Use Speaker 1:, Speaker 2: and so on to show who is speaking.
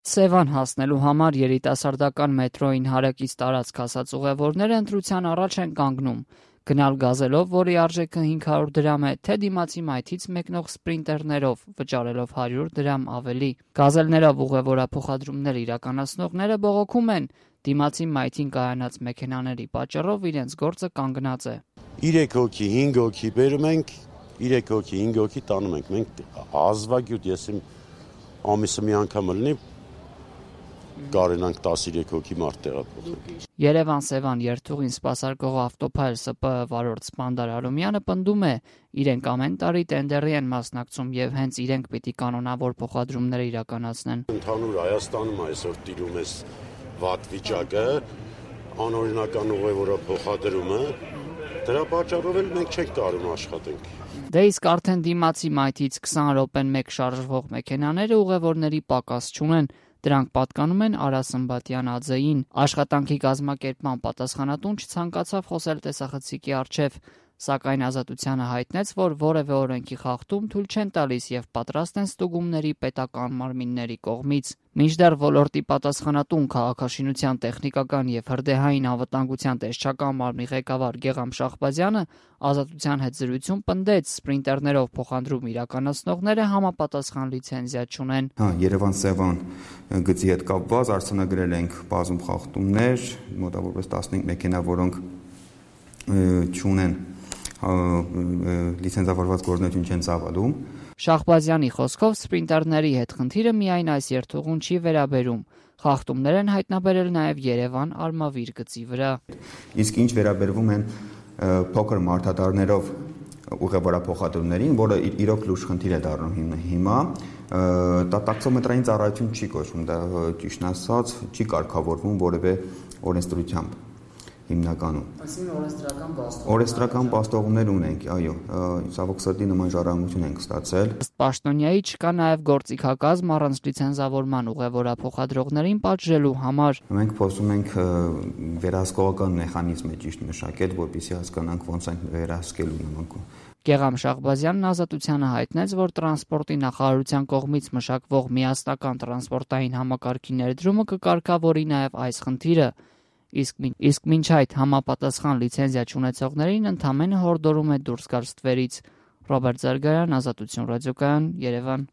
Speaker 1: Սևան հասնելու համար երիտասարդական մետրոյին հարակից տարածք ասած ուղևորները ընտրության առաջ են կանգնում. գնալ գազելով, որի արժեքը 500 դրամ է, թե դիմացի մայթից մեկնող սպրինտերներով, վճարելով 100 դրամ ավելի։ Գազելներով ուղևորափոխադրումներ իրականացնողները բողոքում են. դիմացի մայթին կայանած մեքենաների պատճառով իրենց գործը կանգնած է։
Speaker 2: 3 հոգի, 5 հոգի բերում ենք, 3 հոգի, 5 հոգի տանում ենք։ Մենք ազվագյուտ, ես իմ ամիսը մի անգամ լինի կարենանք 13 հոգի մարդ տեղափոխել։
Speaker 1: Երևան-Սևան երթուղին սպասարկող ավտոփայլ ՍՊԸ վարորդ Սպանդար Արոմյանը պնդում է, իրենք ամեն տարի տենդերի են մասնակցում եւ հենց իրենք պիտի կանոնավոր փոխադրումներ իրականացնեն։
Speaker 2: Ընդհանուր Հայաստանում այսօր տիրում է վատ վիճակը, անօրինական ուղևորափոխադրումը, դրա պատճառով էլ մենք չենք կարում աշխատենք։
Speaker 1: Դե իսկ արդեն դիմացի մայթից 20 րոպեն մեկ շարժվող մեքենաները ուղևորների պակաս չունեն։ Դրանք պատկանում են Արա Սմբատյան ԱՁ-ին։ Աշխատանքի կազմակերպման պատասխանատուն չցանկացավ խոսել տեսախցիկի առջև, սակայն Ազատությանը հայտնեց, որ որևէ օրենքի խախտում թույլ չեն տալիս եւ պատրաստ են ստուգումների պետական մարմինների կողմից։ Մինչդեռ ոլորտի պատասխանատուն քաղաքաշինության տեխնիկական եւ հրդեհային անվտանգության տեսչական մարմնի ղեկավար Գեգամ Շահբազյանը Ազատության հետ զրույցում պնդեց, սպրինտերներով փոխադրում իրականացնողները համապատասխան լիցենզիա չունեն։
Speaker 3: Երևան-Սևան գծի հետ կապված արձանագրել ենք բազում խախտումներ, մոտավորապես 15 մեքենա, որոնք չունեն լիցենզավորված գործունեություն չեն ծավալում։
Speaker 1: Շահբազյանի խոսքով սպրինտերների հետ խնդիրը միայն այս երթուղուն չի վերաբերում։ Խախտումներ են հայտնաբերել նաև Երևան-Արմավիր գծի վրա։
Speaker 3: Իսկ ինչ վերաբերվում են փոքր մարդատարներով ուղևորափոխադրումներին, որը իրոք լուրջ խնդիր է դառնում հիմա, դա տաքսոմետրային ծառայություն չի կոչվում, դա ճիշտն ասած չի կարգավորվում որևէ օրենսդրությամբ հիմնականում։ Այսինքն օրենսդրական պաստողումներ ունենք, այո, ցավոք սրտի նման ժառանգություն ենք ստացել։
Speaker 1: Ըստ պաշտոնյայի չկա նաև գործիքակազմ առանց լիցենզավորման ուղևորափոխադրողներին պատժելու համար։
Speaker 3: Մենք փորձում ենք վերահսկողական մեխանիզմ ճիշտ մշակել, որպեսզի հասկանանք ոնց են վերահսկելու նման։
Speaker 1: Գեգամ Շահբազյանն Ազատությանը հայտնեց, որ տրանսպորտի նախարարության կողմից մշակվող միասնական տրանսպորտային համակարգի ներդրումը կկարգավորի նաև այս խնդիրը։ Իսկ մինչ այդ համապատասխան լիցենզիա չունեցողներին ընդամենը հորդորում է դուրս գալ ստվերից։ Ռոբերտ Զարգարյան, Ազատություն ռադիոկայան, Երևան։